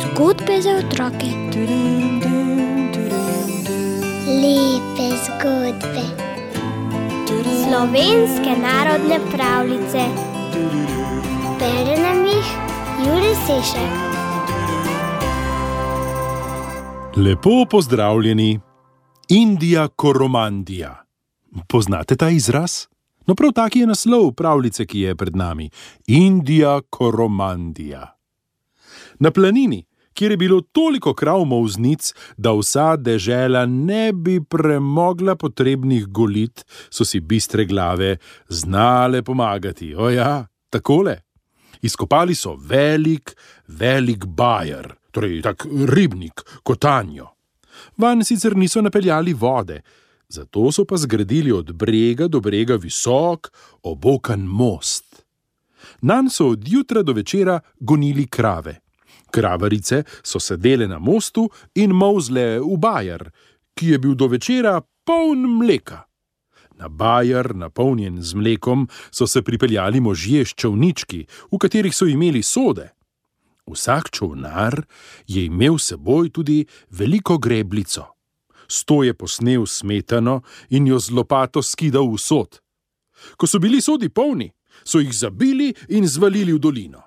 Zgodbe za otroke. Lepe zgodbe. Slovenske narodne pravljice. Bere nam jih Jure Sešek. Lepo pozdravljeni. Indija Koromandija. Poznate ta izraz? No, prav taki je naslov pravljice, ki je pred nami. Indija Koromandija. Na planini, kjer je bilo toliko krav molznic, da vsa dežela ne bi premogla potrebnih golit, so si bistre glave znale pomagati. O ja, takole. Izkopali so velik bajer, torej tak ribnik, kotanjo. Vanj sicer niso napeljali vode, zato so pa zgradili od brega do brega visok, obokan most. Nanj so od jutra do večera gonili krave. Kravarice so sedele na mostu in molzle v bajer, ki je bil do večera poln mleka. Na bajer, napolnjen z mlekom, so se pripeljali možje s čolnički, v katerih so imeli sode. Vsak čolnar je imel s seboj tudi veliko grebljico. S to je posnel smetano in jo z lopato skidal v sod. Ko so bili sodi polni, so jih zabili in zvalili v dolino.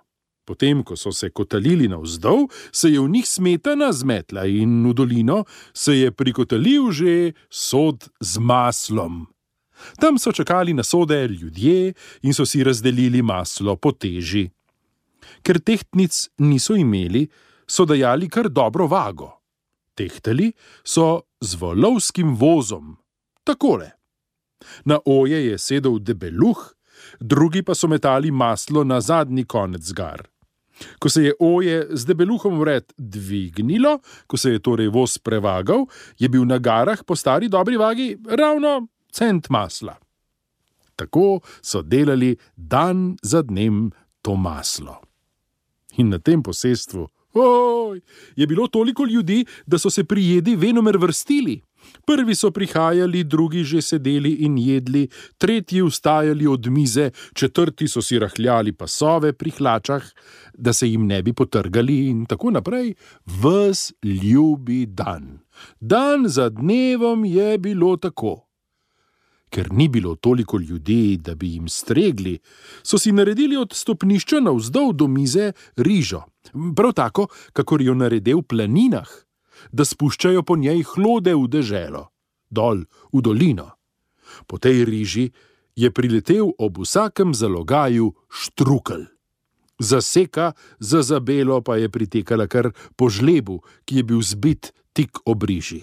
Potem, ko so se kotalili navzdol, se je v njih smetana zmetla in v dolino se je prikotalil že sod z maslom. Tam so čakali na sode ljudje in so si razdelili maslo po teži. Ker tehtnic niso imeli, so dajali kar dobro vago. Tehtali so z volovskim vozom. Takole. Na oje je sedel debeluh, drugi pa so metali maslo na zadnji konec gar. Ko se je oje z debeluhom vred dvignilo, ko se je torej voz prevagal, je bil na garah po stari dobri vagi ravno cent masla. Tako so delali dan za dnem to maslo. In na tem posestvu, je bilo toliko ljudi, da so se pri jedi venomer vrstili. Prvi so prihajali, drugi že sedeli in jedli, tretji vstajali od mize, četrti so si rahljali pasove pri hlačah, da se jim ne bi potrgali in tako naprej. Ves ljubi dan. Dan za dnevom je bilo tako. Ker ni bilo toliko ljudi, da bi jim stregli, so si naredili od stopnišča navzdol do mize rižo. Prav tako, kakor jo narede v planinah, da spuščajo po njej hlode v deželo, dol v dolino. Po tej riži je priletel ob vsakem zalogaju štrukelj. Zaseka za zabelo pa je pritekala kar po žlebu, ki je bil zbit tik ob riži.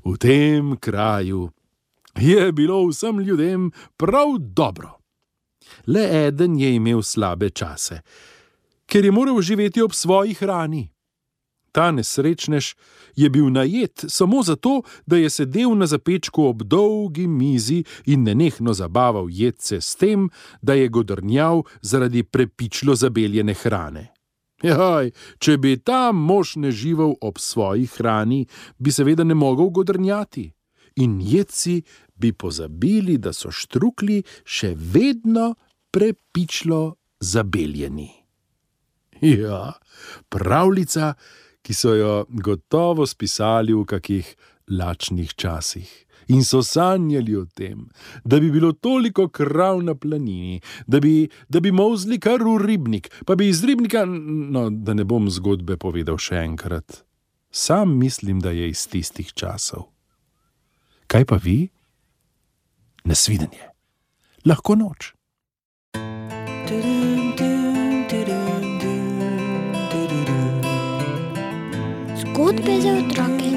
V tem kraju je bilo vsem ljudem prav dobro. Le eden je imel slabe čase, ker je moral živeti ob svoji hrani. Ta nesrečnež je bil najet samo zato, da je sedel na zapečku ob dolgi mizi in nenehno zabaval jedce s tem, da je godrnjal zaradi prepičlo zabeljene hrane. Jaj, če bi ta mož ne živel ob svoji hrani, bi seveda ne mogel godrnjati. In jedci bi pozabili, da so štrukli še vedno prepičlo zabeljeni. Ja, pravljica, ki so jo gotovo spisali v kakih lačnih časih. In so sanjali o tem, da bi bilo toliko krav na planini, da bi molzli kar v ribnik, pa bi iz ribnika, da ne bom zgodbe povedal še enkrat. Sam mislim, da je iz tistih časov. Kaj pa vi? Nasvidenje. Lahko noč. Zgodbe za otroke.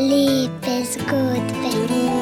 Lepe zgodbe.